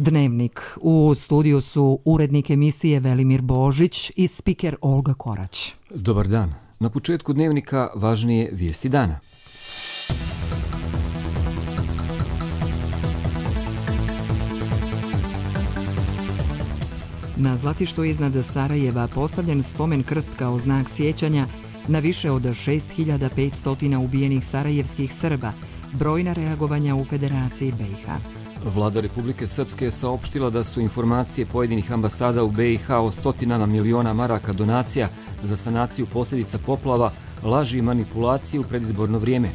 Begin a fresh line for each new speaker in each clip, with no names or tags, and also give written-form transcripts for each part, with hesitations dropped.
Dnevnik. U studiju su urednik emisije Velimir Božić i spiker Olga Korać.
Dobar dan. Na početku Dnevnika važnije vijesti dana.
Na Zlatištu iznad Sarajeva postavljen spomen krst kao znak sjećanja na više od 6500 ubijenih sarajevskih Srba, brojna reagovanja u Federaciji BiH.
Vlada Republike Srpske je saopštila da su informacije pojedinih ambasada u BiH o stotinama miliona maraka donacija za sanaciju posljedica poplava, laži i manipulacije u predizborno vrijeme.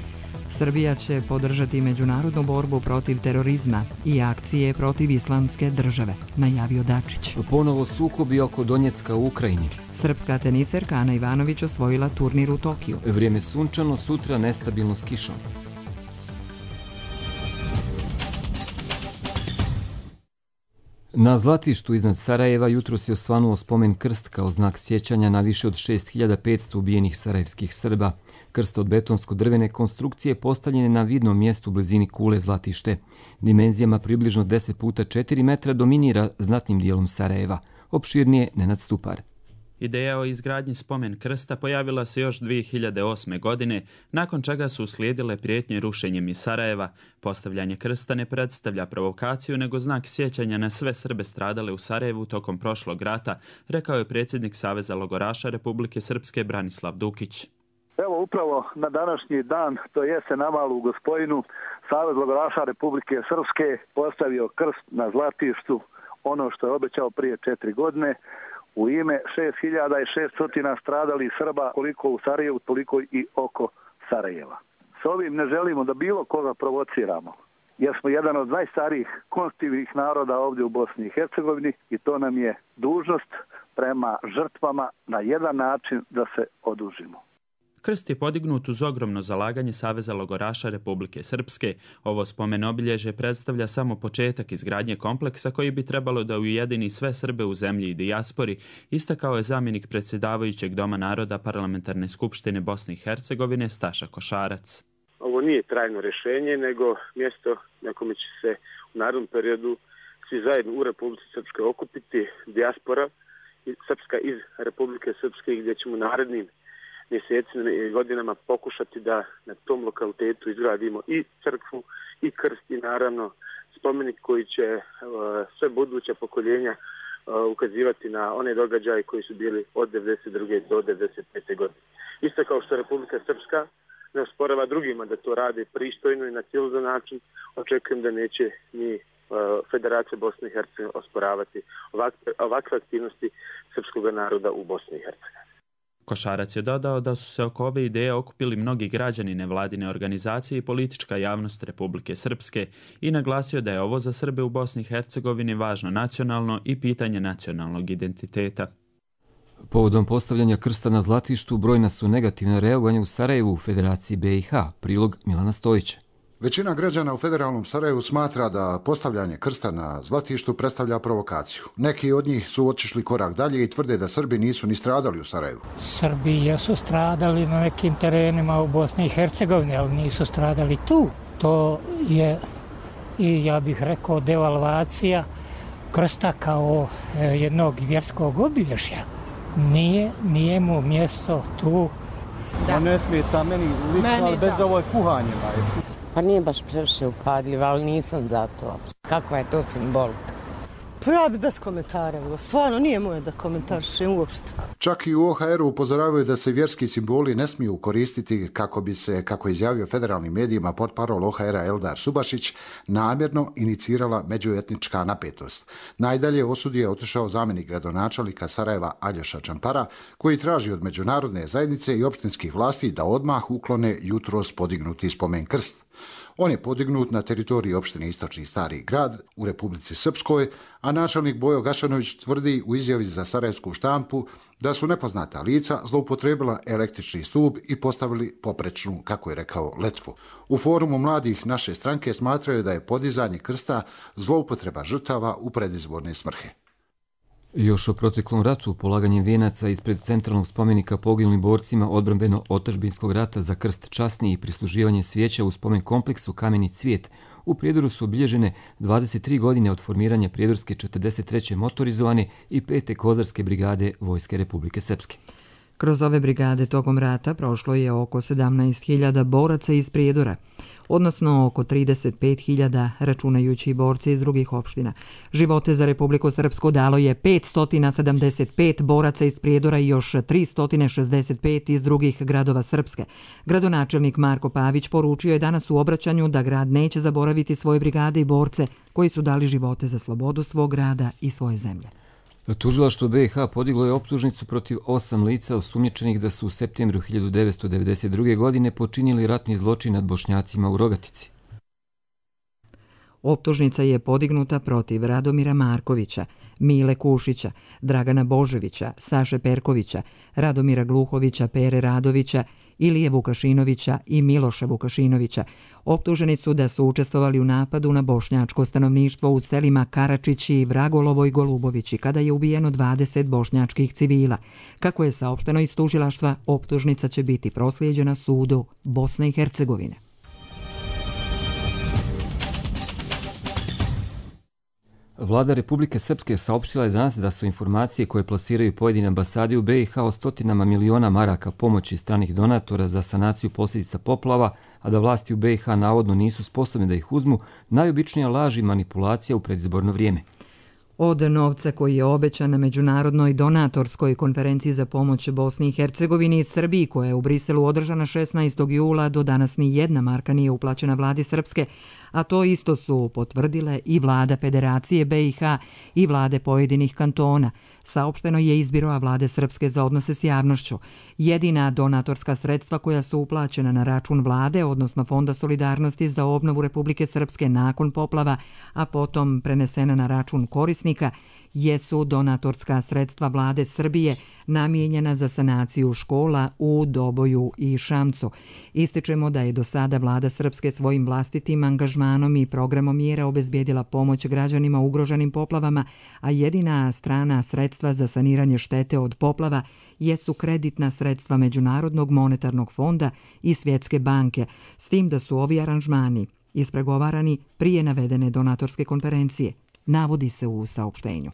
Srbija će podržati međunarodnu borbu protiv terorizma i akcije protiv islamske države, najavio Dačić.
Ponovo sukobi oko Donjecka u Ukrajini.
Srpska teniserka Ana Ivanović osvojila turnir u Tokiju.
Vrijeme sunčano, sutra nestabilno s kišom. Na Zlatištu iznad Sarajeva jutros je osvanuo spomen krst kao znak sjećanja na više od 6500 ubijenih sarajevskih Srba. Krst od betonsko-drvene konstrukcije postavljen je na vidnom mjestu u blizini kule Zlatište. Dimenzijama približno 10 puta 4 metra dominira znatnim dijelom Sarajeva. Opširnije Nenad Stupar.
Ideja o izgradnji spomen krsta pojavila se još 2008. godine, nakon čega su uslijedile prijetnje rušenjem iz Sarajeva. Postavljanje krsta ne predstavlja provokaciju, nego znak sjećanja na sve Srbe stradale u Sarajevu tokom prošlog rata, rekao je predsjednik Saveza logoraša Republike Srpske Branislav Dukić.
Evo upravo na današnji dan, to jeste na Malu Gospojinu, Savez logoraša Republike Srpske postavio krst na Zlatištu, ono što je obećao prije 4 godine, u ime 6600 stradalih Srba, koliko u Sarajevu, toliko i oko Sarajeva. S ovim ne želimo da bilo koga provociramo, jer smo jedan od najstarijih konstitutivnih naroda ovdje u Bosni i Hercegovini i to nam je dužnost prema žrtvama na jedan način da se odužimo.
Krst je podignut uz ogromno zalaganje Saveza logoraša Republike Srpske. Ovo spomen obilježje predstavlja samo početak izgradnje kompleksa koji bi trebalo da ujedini sve Srbe u zemlji i dijaspori, istakao je zamjenik predsjedavajućeg Doma naroda Parlamentarne skupštine Bosne i Hercegovine Staša Košarac.
Ovo nije trajno rješenje, nego mjesto na kome će se u narednom periodu svi zajedno u Republici Srpskoj okupiti, dijaspora srpska iz Republike Srpske, gdje ćemo narednim mjesecima i godinama pokušati da na tom lokalitetu izgradimo i crkvu i krst i naravno spomenik koji će sve buduća pokoljenja ukazivati na one događaje koji su bili od 1992. do 1995. godine. Isto kao što Republika Srpska ne osporava drugima da to rade pristojno i na civilizan način, očekujem da neće ni Federacija Bosne i Hercegovine osporavati ovakve aktivnosti srpskog naroda u Bosni i Hercegovini.
Košarac je dodao da su se oko ove ideje okupili mnogi građani, nevladine organizacije i politička javnost Republike Srpske i naglasio da je ovo za Srbe u Bosni i Hercegovini važno nacionalno i pitanje nacionalnog identiteta.
Povodom postavljanja krsta na Zlatištu brojna su negativna reagovanja u Sarajevu u Federaciji BiH, prilog Milana Stojića.
Većina građana u federalnom Sarajevu smatra da postavljanje krsta na Zlatištu predstavlja provokaciju. Neki od njih su otišli korak dalje i tvrde da Srbi nisu ni stradali u Sarajevu.
Srbi jesu stradali na nekim terenima u Bosni i Hercegovini, ali nisu stradali tu. To je, i ja bih rekao, devalvacija krsta kao jednog vjerskog obilježja. Nije mu mjesto tu.
Da. Ne smeta meni lično, ali bez ovo kuhanje.
Pa nije baš previše upadljiva, ali nisam za to. Kakva je to simbolika?
Pa ja bi bez komentara, stvarno nije moje da komentarišem uopšte.
Čak i u OHR-u upozoravaju da se vjerski simboli ne smiju koristiti kako bi se, kako je izjavio federalnim medijima portparol OHR-a Eldar Subašić, namjerno inicirala međuetnička napetost. Najdalje osudio je otišao zamjenik gradonačelnika Sarajeva Aljoša Čampara, koji traži od međunarodne zajednice i opštinskih vlasti da odmah uklone jutros podignuti spomen krst. On je podignut na teritoriji opštine Istočni Stari grad u Republici Srpskoj, a načelnik Bojo Gašanović tvrdi u izjavi za sarajevsku štampu da su nepoznata lica zloupotrebila električni stup i postavili poprečnu, kako je rekao, letvu. U forumu mladih naše stranke smatraju da je podizanje krsta zloupotreba žrtava u predizborne svrhe.
Još o proteklom ratu, polaganjem vijenaca ispred centralnog spomenika poginulim borcima odbrambeno-otadžbinskog rata za krst časni i prisluživanje svijeća u spomen kompleksu Kameni cvijet, u Prijedoru su obilježene 23 godine od formiranja Prijedorske 43. motorizovane i 5. kozarske brigade Vojske Republike Srpske.
Kroz ove brigade tokom rata prošlo je oko 17.000 boraca iz Prijedora, odnosno oko 35.000 računajući borce iz drugih opština. Živote za Republiku Srpsku dalo je 575 boraca iz Prijedora i još 365 iz drugih gradova Srpske. Gradonačelnik Marko Pavić poručio je danas u obraćanju da grad neće zaboraviti svoje brigade i borce koji su dali živote za slobodu svog grada i svoje zemlje.
Tužilaštvo BiH podiglo je optužnicu protiv 8 lica osumnjičenih da su u septembru 1992. godine počinili ratni zločin nad Bošnjacima u Rogatici.
Optužnica je podignuta protiv Radomira Markovića, Mile Kušića, Dragana Boževića, Saše Perkovića, Radomira Gluhovića, Pere Radovića, Ilije Vukašinovića i Miloša Vukašinovića. Optuženi su da su učestvovali u napadu na bošnjačko stanovništvo u selima Karačići, Vragolovo i Golubovići, kada je ubijeno 20 bošnjačkih civila. Kako je saopšteno iz tužilaštva, optužnica će biti proslijeđena sudu Bosne i Hercegovine.
Vlada Republike Srpske saopštila je danas da su informacije koje plasiraju pojedine ambasade u BiH o stotinama miliona maraka pomoći stranih donatora za sanaciju posljedica poplava, a da vlasti u BiH navodno nisu sposobne da ih uzmu, najobičnija laž i manipulacija u predizborno vrijeme.
Od novca koji je obećan na međunarodnoj donatorskoj konferenciji za pomoć Bosni i Hercegovini i Srbiji, koja je u Briselu održana 16. jula, do danas ni jedna marka nije uplaćena vladi Srpske, a to isto su potvrdile i vlada Federacije BiH i vlade pojedinih kantona. Saopšteno je iz Biroa vlade Srpske za odnose s javnošću. Jedina donatorska sredstva koja su uplaćena na račun vlade, odnosno Fonda solidarnosti za obnovu Republike Srpske nakon poplava, a potom prenesena na račun korisnika, jesu donatorska sredstva vlade Srbije namijenjena za sanaciju škola u Doboju i Šamcu. Ističemo da je do sada vlada Srpske svojim vlastitim angažmanom i programom mjera obezbijedila pomoć građanima ugroženim poplavama, a jedina strana sredstva za saniranje štete od poplava jesu kreditna sredstva Međunarodnog monetarnog fonda i Svjetske banke, s tim da su ovi aranžmani ispregovarani prije navedene donatorske konferencije, navodi se u saopštenju.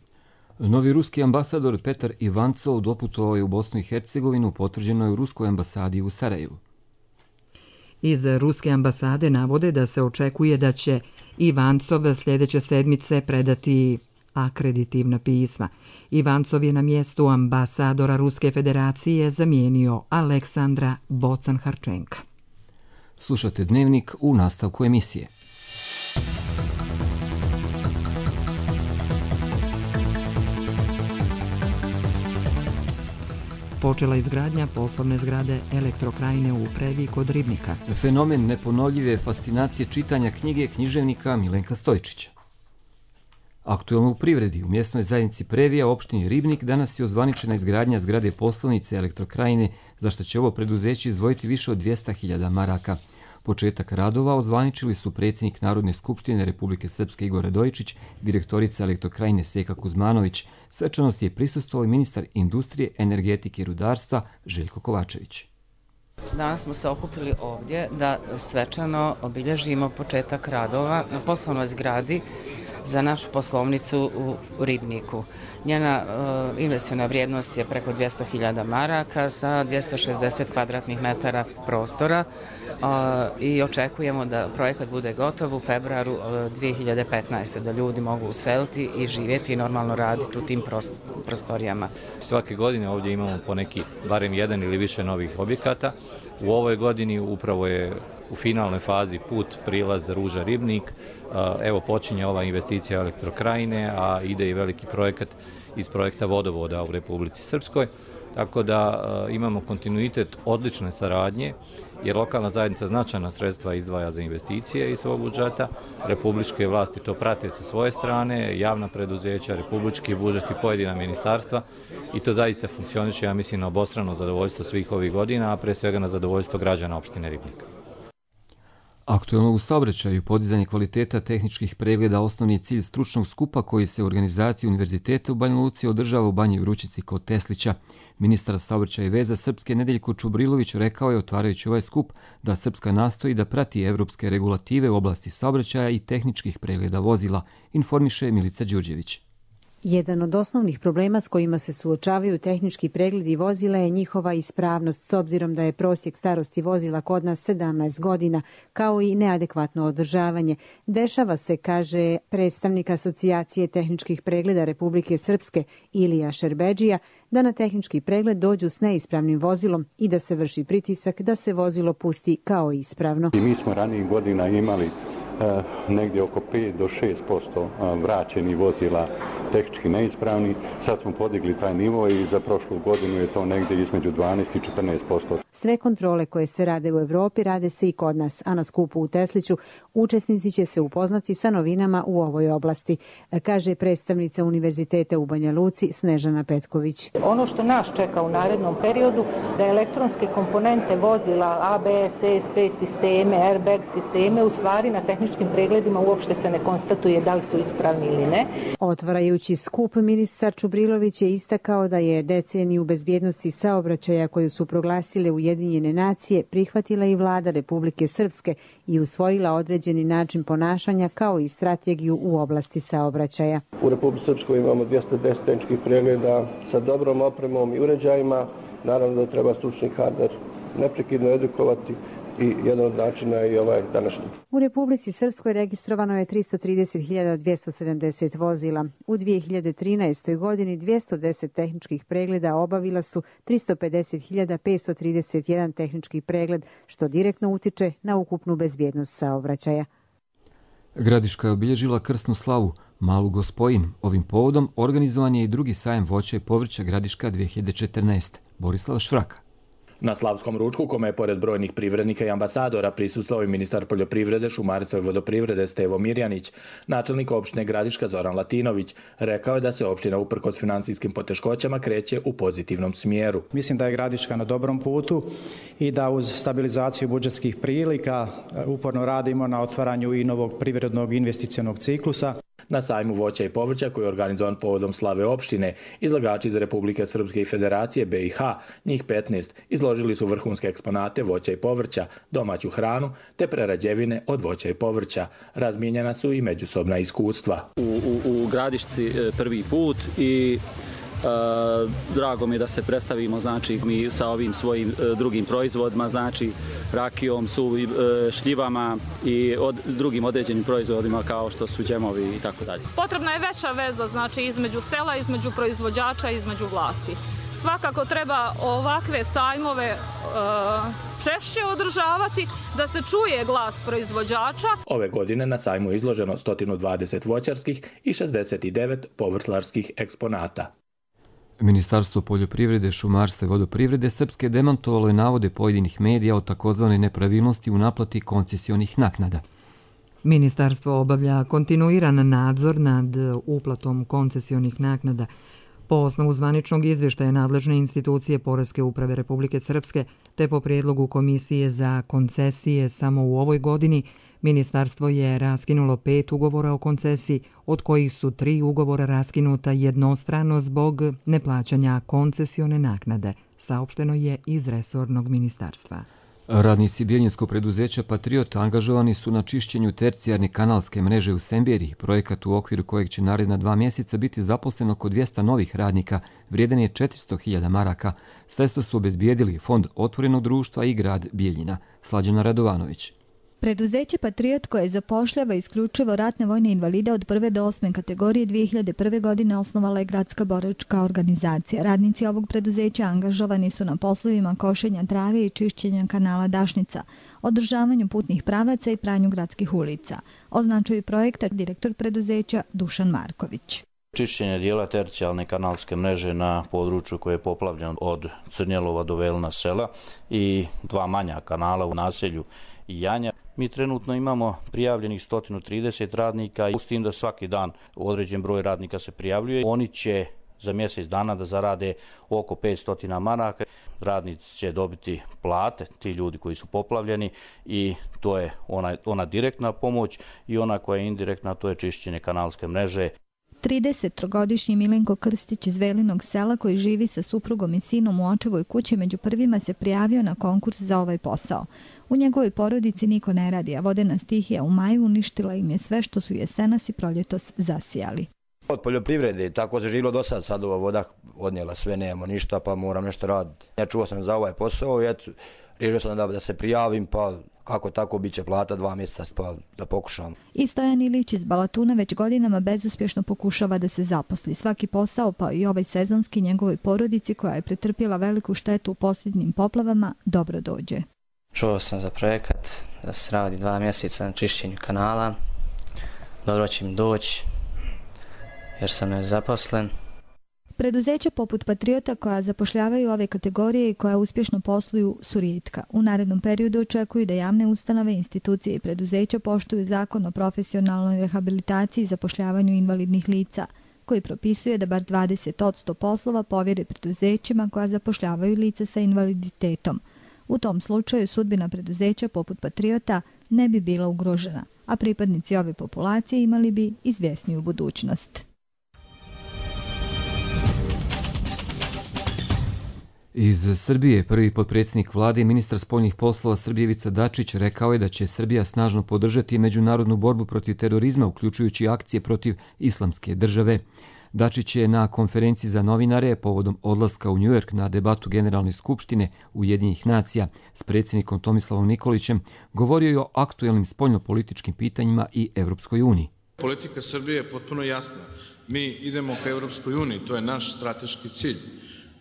Novi ruski ambasador Petar Ivancov doputovao je u Bosnu i Hercegovinu, potvrđeno je u ruskoj ambasadi u Sarajevu.
Iz ruske ambasade navode da se očekuje da će Ivancov sljedeće sedmice predati akreditivna pisma. Ivancov je na mjestu ambasadora Ruske federacije zamijenio Aleksandra Bocan-Harčenka.
Slušate Dnevnik u nastavku emisije.
Počela izgradnja poslovne zgrade Elektrokrajine u Previ kod Ribnika.
Fenomen neponovljive fascinacije čitanja knjige književnika Milenka Stojčića. Aktuelno u privredi, u mjesnoj zajednici Previja, opštini Ribnik, danas je ozvaničena izgradnja zgrade poslovnice Elektrokrajine, za što će ovo preduzeće izdvojiti više od 200.000 maraka. Početak radova ozvaničili su predsjednik Narodne skupštine Republike Srpske Igor Radojičić, direktorica Elektrokrajine Seka Kuzmanović. Svečanosti je prisustvovao i ministar industrije, energetike i rudarstva Željko Kovačević.
Danas smo se okupili ovdje da svečano obilježimo početak radova na poslovnoj zgradi za našu poslovnicu u Ribniku. Njena investiciona vrijednost je preko 200.000 maraka sa 260 kvadratnih metara prostora i očekujemo da projekat bude gotov u februaru 2015. da ljudi mogu useliti i živjeti i normalno raditi u tim prostorijama.
Svake godine ovdje imamo po neki barem jedan ili više novih objekata. U ovoj godini upravo je u finalnoj fazi put prilaz Ruža Ribnik. Evo počinje ova investicija Elektrokrajine, a ide i veliki projekat iz projekta vodovoda u Republici Srpskoj. Tako da imamo kontinuitet odlične saradnje, jer lokalna zajednica značajna sredstva izdvaja za investicije iz svog budžeta. Republičke vlasti to prate sa svoje strane, javna preduzeća, republički budžet i pojedina ministarstva, i to zaista funkcioniše, ja mislim, na obostrano zadovoljstvo svih ovih godina, a pre svega na zadovoljstvo građana opštine Ribnika.
Aktuelno u saobraćaju podizanje kvaliteta tehničkih pregleda osnovni je cilj stručnog skupa koji se u organizaciji Univerziteta u Banja Luci održava u Banji Vrućici kod Teslića. Ministar saobraćaja i veza Srpske Nedeljko Čubrilović rekao je otvarajući ovaj skup da Srpska nastoji da prati evropske regulative u oblasti saobraćaja i tehničkih pregleda vozila, informiše Milica Đurđević.
Jedan od osnovnih problema s kojima se suočavaju tehnički pregledi vozila je njihova ispravnost, s obzirom da je prosjek starosti vozila kod nas 17 godina, kao i neadekvatno održavanje. Dešava se, kaže predstavnik Asocijacije tehničkih pregleda Republike Srpske Ilija Šerbedžija, da na tehnički pregled dođu s neispravnim vozilom i da se vrši pritisak da se vozilo pusti kao ispravno.
Mi smo ranijih godina imali negdje oko 5 do 6% vraćenih vozila tehnički neispravni. Sad smo podigli taj nivo i za prošlu godinu je to negdje između 12 i 14%.
Sve kontrole koje se rade u Evropi rade se i kod nas, a na skupu u Tesliću učesnici će se upoznati sa novinama u ovoj oblasti, kaže predstavnica Univerziteta u Banja Luci Snežana Petković.
Ono što nas čeka u narednom periodu da elektronske komponente vozila, ABS, ESP sisteme, airbag sisteme, u stvari na tehničkim pregledima uopšte se ne konstatuje da li su ispravni ili ne.
Otvarajući skup, ministar Čubrilović je istakao da je deceniju bezbjednosti saobraćaja koju su proglasile Ujedinjene nacije prihvatila i vlada Republike Srpske i usvojila određeni način ponašanja kao i strategiju u oblasti saobraćaja.
U Republici Srpskoj imamo 210 tehničkih pregleda sa dobrom opremom i uređajima. Naravno da treba stručni kadar neprekidno edukovati i jedan od načina je i ovaj današnji.
U Republici Srpskoj registrovano je 330.270 vozila. U 2013. godini 210 tehničkih pregleda obavila su 350.531 tehnički pregled, što direktno utiče na ukupnu bezbjednost saobraćaja.
Gradiška je obilježila krsnu slavu, Malu Gospojin. Ovim povodom organizovan je i drugi sajam voća i povrća Gradiška 2014. Borislav Švraka.
Na slavskom ručku, kome je pored brojnih privrednika i ambasadora prisustvovao i ministar poljoprivrede, šumarstva i vodoprivrede Stevo Mirjanić, načelnik opštine Gradiška Zoran Latinović, rekao je da se opština uprkos finansijskim poteškoćama kreće u pozitivnom smjeru.
Mislim da je Gradiška na dobrom putu i da uz stabilizaciju budžetskih prilika uporno radimo na otvaranju i novog privrednog investicionog ciklusa.
Na sajmu voća i povrća koji je organizovan povodom slave opštine, izlagači iz Republike Srpske i Federacije BiH, njih 15, izložili su vrhunske eksponate voća i povrća, domaću hranu te prerađevine od voća i povrća. Razmijenjena su i međusobna iskustva.
U Gradišci prvi put i drago mi je da se predstavimo, znači mi sa ovim svojim drugim proizvodima, znači rakijom, šljivama i drugim određenim proizvodima kao što su džemovi i tako dalje.
Potrebna je veća veza, znači između sela, između proizvođača, između vlasti. Svakako treba ovakve sajmove češće održavati, da se čuje glas proizvođača.
Ove godine na sajmu je izloženo 120 voćarskih i 69 povrtlarskih eksponata.
Ministarstvo poljoprivrede, šumarstva i vodoprivrede Srpske demantovalo je navode pojedinih medija o takozvanoj nepravilnosti u naplati koncesionih naknada.
Ministarstvo obavlja kontinuiran nadzor nad uplatom koncesionih naknada. Po osnovu zvaničnog izvještaja nadležne institucije Poreske uprave Republike Srpske te po prijedlogu Komisije za koncesije samo u ovoj godini, ministarstvo je raskinulo 5 ugovora o koncesiji, od kojih su 3 ugovora raskinuta jednostrano zbog neplaćanja koncesione naknade, saopšteno je iz resornog ministarstva.
Radnici Bijeljinskog preduzeća Patriot angažovani su na čišćenju tercijarne kanalske mreže u Semberi, projekat u okviru kojeg će naredna 2 mjeseca biti zaposleno oko 200 novih radnika, vrijedan je 400.000 maraka. Sredstva su obezbijedili Fond otvorenog društva i grad Bijeljina. Slađana Radovanović.
Preduzeće Patriot koje zapošljava isključivo ratne vojne invalide od 1. do 8. kategorije 2001. godine osnovala je gradska boračka organizacija. Radnici ovog preduzeća angažovani su na poslovima košenja trave i čišćenja kanala Dašnica, održavanju putnih pravaca i pranju gradskih ulica. Označuje projekta direktor preduzeća Dušan Marković.
Čišćenje dijela tercijalne kanalske mreže na području koje je poplavljeno od Crnjelova do Velna sela i 2 manja kanala u naselju Janja. Mi trenutno imamo prijavljenih 130 radnika, s tim da svaki dan određen broj radnika se prijavljuje. Oni će za mjesec dana da zarade oko 500 maraka. Radnici će dobiti plate, ti ljudi koji su poplavljeni, i to je ona direktna pomoć, i ona koja je indirektna, to je čišćenje kanalske mreže.
33-godišnji Milenko Krstić iz Velinog sela, koji živi sa suprugom i sinom u očevoj kući, među prvima se prijavio na konkurs za ovaj posao. U njegovoj porodici niko ne radi, a vodena stihija u maju uništila im je sve što su jesenas i proljetos zasijali.
Od poljoprivrede, tako se živilo do sad, ova voda odnijela sve, nemamo ništa, pa moram nešto raditi. Ja čuo sam za ovaj posao i eto, riješio sam da se prijavim, pa kako tako bit će plata 2 mjeseca, pa da pokušam.
I Stojan Ilić iz Balatuna već godinama bezuspješno pokušava da se zaposli. Svaki posao, pa i ovaj sezonski, njegovoj porodici koja je pretrpjela veliku štetu u posljednjim poplavama, dobro dođe.
Čuo sam za projekat da se radi 2 mjeseca na čišćenju kanala. Dobro će mi doći jer sam nezaposlen.
Preduzeća poput Patriota koja zapošljavaju ove kategorije i koja uspješno posluju su rijetka. U narednom periodu očekuju da javne ustanove, institucije i preduzeća poštuju zakon o profesionalnoj rehabilitaciji i zapošljavanju invalidnih lica, koji propisuje da bar 20% poslova povjere preduzećima koja zapošljavaju lica sa invaliditetom. U tom slučaju sudbina preduzeća poput Patriota ne bi bila ugrožena, a pripadnici ove populacije imali bi izvjesniju budućnost.
Iz Srbije prvi potpredsjednik vlade i ministar spoljnih poslova Srbije Ivica Dačić rekao je da će Srbija snažno podržati međunarodnu borbu protiv terorizma, uključujući akcije protiv islamske države. Dačić je na konferenciji za novinare povodom odlaska u Njujork na debatu Generalne skupštine Ujedinjenih nacija s predsjednikom Tomislavom Nikolićem govorio i o aktuelnim spoljnopolitičkim pitanjima i Evropskoj uniji.
Politika Srbije je potpuno jasna. Mi idemo ka Evropskoj uniji, to je naš strateški cilj.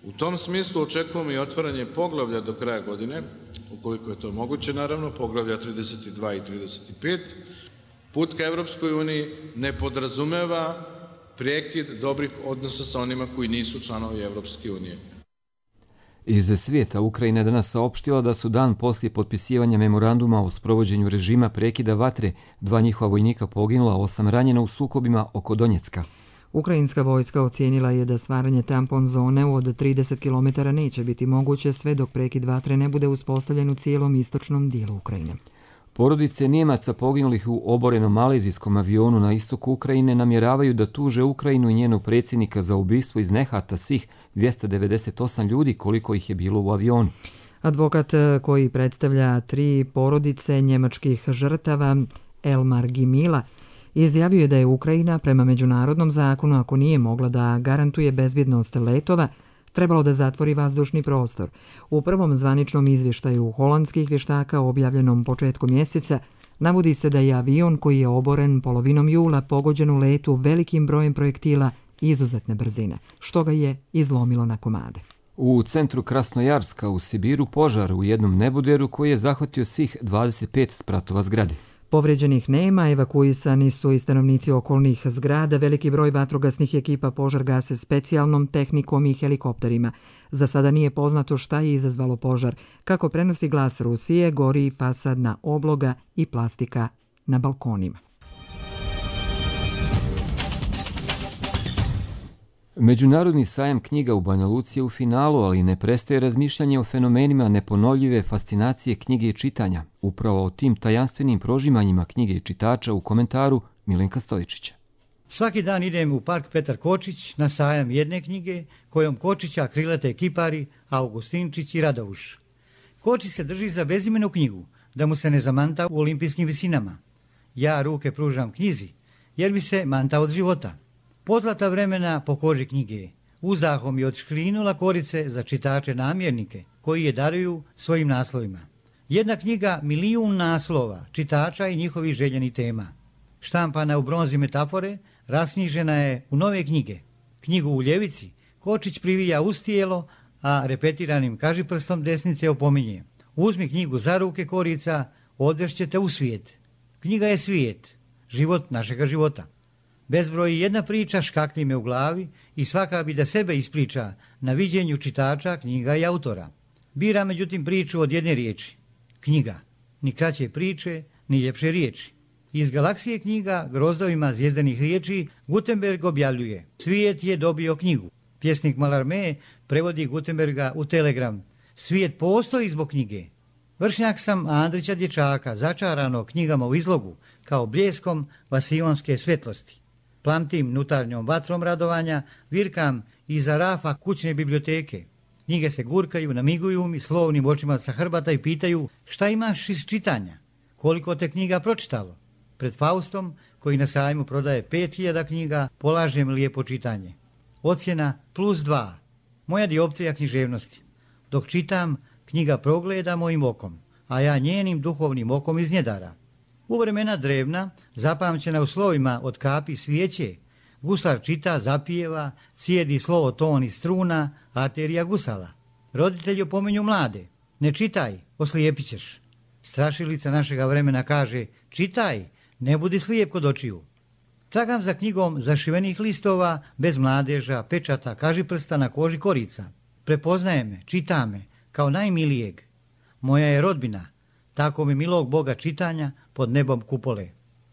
U tom smislu očekujemo i otvaranje poglavlja do kraja godine, ukoliko je to moguće, naravno, poglavlja 32 i 35. Put ka Evropskoj uniji ne podrazumeva prekid dobrih odnosa sa onima koji nisu članovi Evropske unije.
Iz svijeta Ukrajina je danas saopštila da su dan poslije potpisivanja memoranduma o sprovođenju režima prekida vatre 2 njihova vojnika poginula, 8 ranjena u sukobima oko Donjecka.
Ukrajinska vojska ocijenila je da stvaranje tampon zone od 30 km neće biti moguće sve dok prekid vatre ne bude uspostavljen u cijelom istočnom dijelu Ukrajine.
Porodice Njemaca poginulih u oborenom malezijskom avionu na istoku Ukrajine namjeravaju da tuže Ukrajinu i njenog predsjednika za ubistvo iz nehata svih 298 ljudi koliko ih je bilo u avionu.
Advokat koji predstavlja 3 porodice njemačkih žrtava, Elmar Gimila, izjavio je da je Ukrajina prema međunarodnom zakonu, ako nije mogla da garantuje bezbjednost letova, trebalo da zatvori vazdušni prostor. U prvom zvaničnom izvještaju holandskih vještaka objavljenom početkom mjeseca navodi se da je avion koji je oboren polovinom jula pogođen u letu velikim brojem projektila izuzetne brzine, što ga je izlomilo na komade.
U centru Krasnojarska u Sibiru požar u jednom neboderu koji je zahvatio svih 25 spratova zgrade.
Povređenih nema, evakuisani su i stanovnici okolnih zgrada, veliki broj vatrogasnih ekipa požar gase specijalnom tehnikom i helikopterima. Za sada nije poznato šta je izazvalo požar. Kako prenosi Glas Rusije, gori fasadna obloga i plastika na balkonima.
Međunarodni sajam knjiga u Banja Luci je u finalu, ali ne prestaje razmišljanje o fenomenima neponovljive fascinacije knjige i čitanja. Upravo o tim tajanstvenim prožimanjima knjige i čitača u komentaru Milenka Stojičića.
Svaki dan idem u park Petar Kočić na sajam jedne knjige kojom Kočića krilate kipari Augustinčić i Radovuš. Kočić se drži za bezimenu knjigu, da mu se ne zamanta u olimpijskim visinama. Ja ruke pružam knjizi, jer bi se manta od života. Pozlata vremena po koži knjige, uzdahom je odškrinula korice za čitače namjernike, koji je daruju svojim naslovima. Jedna knjiga, 1.000.000 naslova, čitača i njihovih željenih tema. Štampana u bronzi metafore, rasknjižena je u nove knjige. Knjigu u ljevici Kočić privija uz tijelo, a repetiranim kažiprstom desnice opominje. Uzmi knjigu za ruke korica, odvešćete u svijet. Knjiga je svijet, život našega života. Bezbroj jedna priča škakli me u glavi i svaka bi da sebe ispriča na viđenju čitača, knjiga i autora. Bira međutim priču od jedne riječi. Knjiga. Ni kraće priče, ni ljepše riječi. Iz galaksije knjiga grozdovima zvjezdanih riječi Gutenberg objavljuje. Svijet je dobio knjigu. Pjesnik Mallarmé prevodi Gutenberga u telegram. Svijet postoji zbog knjige. Vršnjak sam Andrića dječaka, začarano knjigama u izlogu, kao bljeskom vasionske svjetlosti. Plamtim unutarnjom vatrom radovanja, virkam iza rafa kućne biblioteke. Knjige se gurkaju, namiguju mi slovnim očima sa hrbata i pitaju šta imaš iz čitanja, koliko te knjiga pročitalo. Pred Faustom, koji na sajmu prodaje 5000 knjiga, polažem lijepo čitanje. Ocjena +2. Moja dioptrija književnosti. Dok čitam, knjiga progleda mojim okom, a ja njenim duhovnim okom iznjedara. U vremena drevna, zapamćena u slovima od kapi svijeće, gusar čita, zapijeva, cijedi slovo ton i struna, arterija gusala. Roditelji opominju mlade, ne čitaj, oslijepit ćeš. Strašilica našega vremena kaže, čitaj, ne budi slijep kod očiju. Tragam za knjigom zašivenih listova, bez mladeža, pečata, kažiprsta na koži korica. Prepoznaje me, čita me, kao najmilijeg. Moja je rodbina, tako mi milog Boga čitanja pod nebom kupole.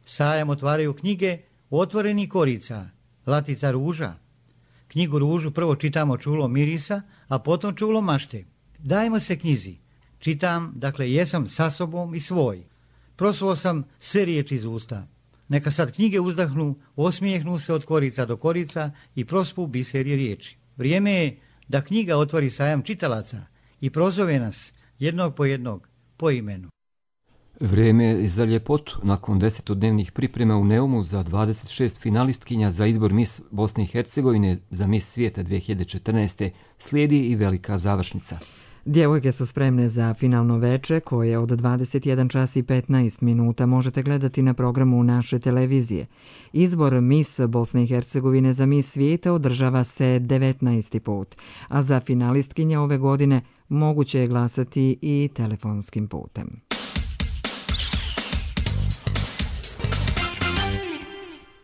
Sajam otvaraju knjige otvorenih korica, latica ruža. Knjigu ružu prvo čitamo čulom mirisa, a potom čulom mašte. Dajmo se knjizi. Čitam, dakle jesam sa sobom i svoj. Prosuo sam sve riječi iz usta. Neka sad knjige uzdahnu, osmijehnu se od korica do korica i prospu biserje riječi. Vrijeme je da knjiga otvori sajam čitalaca i prozove nas jednog po jednog po imenu.
Vrijeme je za ljepotu. Nakon 10-dnevnih priprema u Neumu za 26 finalistkinja za izbor Miss Bosne i Hercegovine za Miss svijeta 2014. slijedi i velika završnica.
Djevojke su spremne za finalno veče koje od 21 čas i 15 minuta možete gledati na programu naše televizije. Izbor Miss Bosne i Hercegovine za Miss svijeta održava se 19. put, a za finalistkinje ove godine moguće je glasati i telefonskim putem.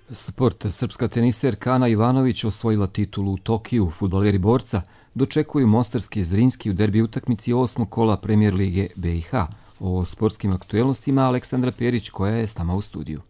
Sport. Srpska teniserka Ana Ivanović osvojila titulu u Tokiju. Fudbaleri Borca dočekuju mostarski Zrinski u derbi utakmici 8. kola Premier lige BiH. O sportskim aktuelnostima Aleksandra Perić koja je s nama u studiju.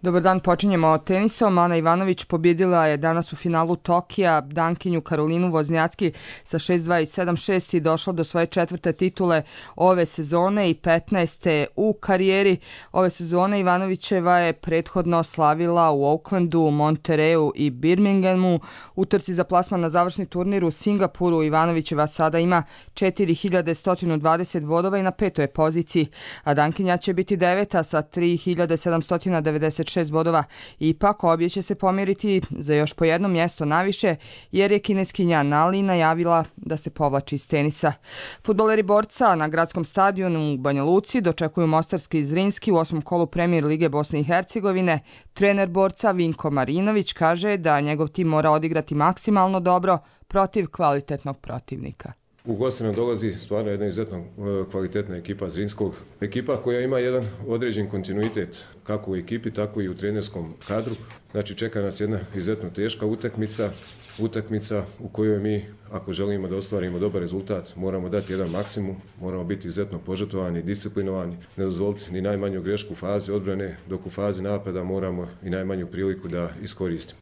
Dobar dan, počinjemo tenisom. Ana Ivanović pobjedila je danas u finalu Tokija Dankinju Karolinu Voznjacki sa 6-2 i 7-6 i došla do svoje 4. titule ove sezone i 15. u karijeri. Ove sezone Ivanovićeva je prethodno slavila u Aucklandu, Monterreyu i Birminghamu. U trci za plasman na završni turnir u Singapuru Ivanovićeva sada ima 4120 bodova i na 5. poziciji, a Dankinja će biti 9. sa 3796 bodova. Ipak obje će se pomjeriti za još po jedno mjesto naviše jer je kineskinja Nali najavila da se povlači iz tenisa. Fudbaleri Borca na gradskom stadionu u Banja Luci dočekuju mostarski Zrinski u 8. kolu Premier lige Bosne i Hercegovine. Trener Borca Vinko Marinović kaže da njegov tim mora odigrati maksimalno dobro protiv kvalitetnog protivnika.
U goste nam dolazi stvarno jedna izuzetno kvalitetna ekipa Zrinskog. Ekipa koja ima jedan određen kontinuitet kako u ekipi, tako i u trenerskom kadru. Znači čeka nas jedna izuzetno teška utakmica u kojoj mi, ako želimo da ostvarimo dobar rezultat, moramo dati jedan maksimum, moramo biti izuzetno požrtvovani, disciplinovani, ne dozvoliti ni najmanju grešku u fazi odbrane, dok u fazi napada moramo i najmanju priliku da iskoristimo.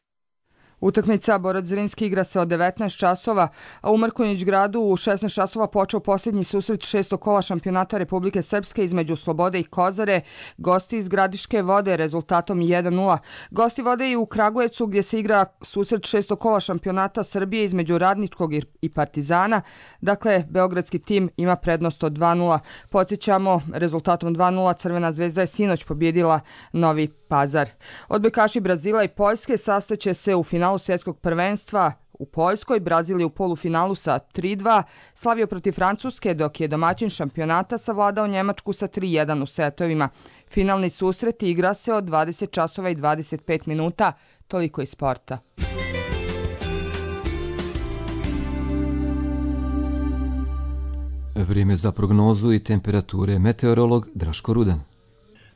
Utakmica Borac Zrinski igra se od 19 časova, a u Mrkonjić gradu u 16 časova počeo posljednji susret 6. kola šampionata Republike Srpske između Slobode i Kozare. Gosti iz Gradiške vode rezultatom 1-0. Gosti vode i u Kragujevcu gdje se igra susret 6. kola šampionata Srbije između Radničkog i Partizana. Dakle, beogradski tim ima prednost od 2-0. Podsjećamo, rezultatom 2-0 Crvena zvezda je sinoć pobjedila Novi Pazar. Odbojkaši Brazila i Poljske sastaće se u finalu svjetskog prvenstva u Poljskoj. Brazil je u polufinalu sa 3-2 slavio protiv Francuske, dok je domaćin šampionata savladao Njemačku sa 3-1 u setovima. Finalni susret igra se od 20 časova i 25 minuta. Toliko iz sporta.
Vrijeme za prognozu i temperature. Meteorolog Draško Rudan.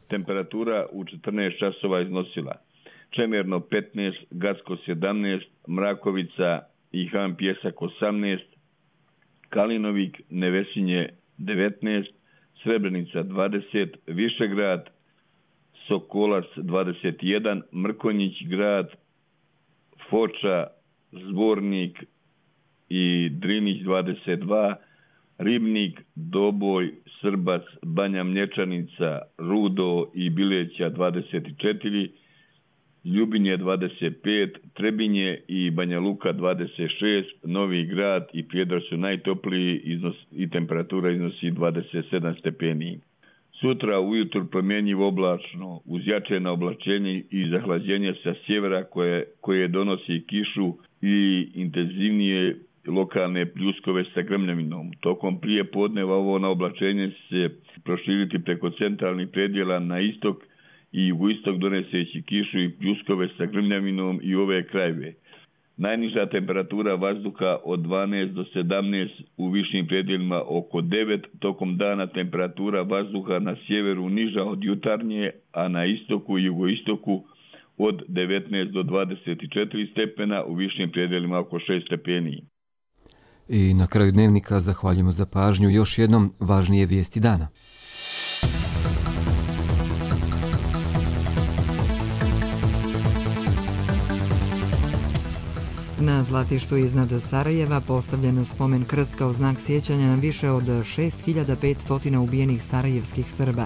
Temperatura u 14 časova iznosila Čemerno 15, Gackos 17, Mrakovica i Han Pjesak 18, Kalinovik, Nevesinje 19, Srebrenica 20, Višegrad, Sokolac 21, Mrkonjić grad, Foča, Zbornik i Drinić 22, Ribnik, Doboj, Srbac, Banja Mlječanica, Rudo i Bileća 24, Ljubinje 25, Trebinje i Banja Luka 26, Novi Grad i Prijedor su najtopliji i temperatura iznosi 27 stepeni. Sutra ujutru promjenjivo oblačno, uz jačeno oblačenje i zahlađenje sa sjevera koje donosi kišu i intenzivnije lokalne pljuskove sa grmljavinom. Tokom prije podneva ovo naoblačenje se proširiti preko centralnih predjela na istok i jugoistok doneseći kišu i pljuskove sa grmljavinom i ove krajeve. Najniža temperatura vazduha od 12 do 17, u višim predjelima oko 9, tokom dana temperatura vazduha na sjeveru niža od jutarnje, a na istoku i jugoistoku od 19 do 24 stepena, u višim predjelima oko 6 stepeni.
I na kraju dnevnika zahvaljujemo za pažnju još jednom važnije vijesti dana.
Na Zlatištu iznad Sarajeva postavljen spomen krst kao znak sjećanja na više od 6500 ubijenih sarajevskih Srba.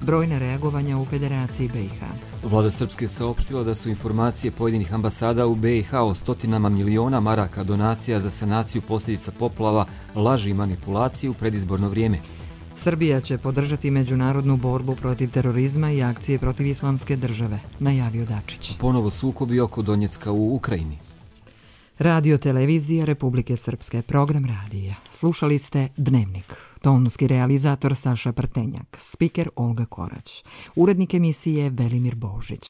Brojna reagovanja u Federaciji BiH.
Vlada Srpske saopštila da su informacije pojedinih ambasada u BiH o stotinama miliona maraka donacija za sanaciju posljedica poplava, laži i manipulacije u predizborno vrijeme.
Srbija će podržati međunarodnu borbu protiv terorizma i akcije protiv islamske države, najavio Dačić.
Ponovo sukobi oko Donjecka u Ukrajini.
Radio televizija Republike Srpske, program radija. Slušali ste Dnevnik. Tonski realizator Saša Prtenjak, spiker Olga Korać, urednik emisije Velimir Božić.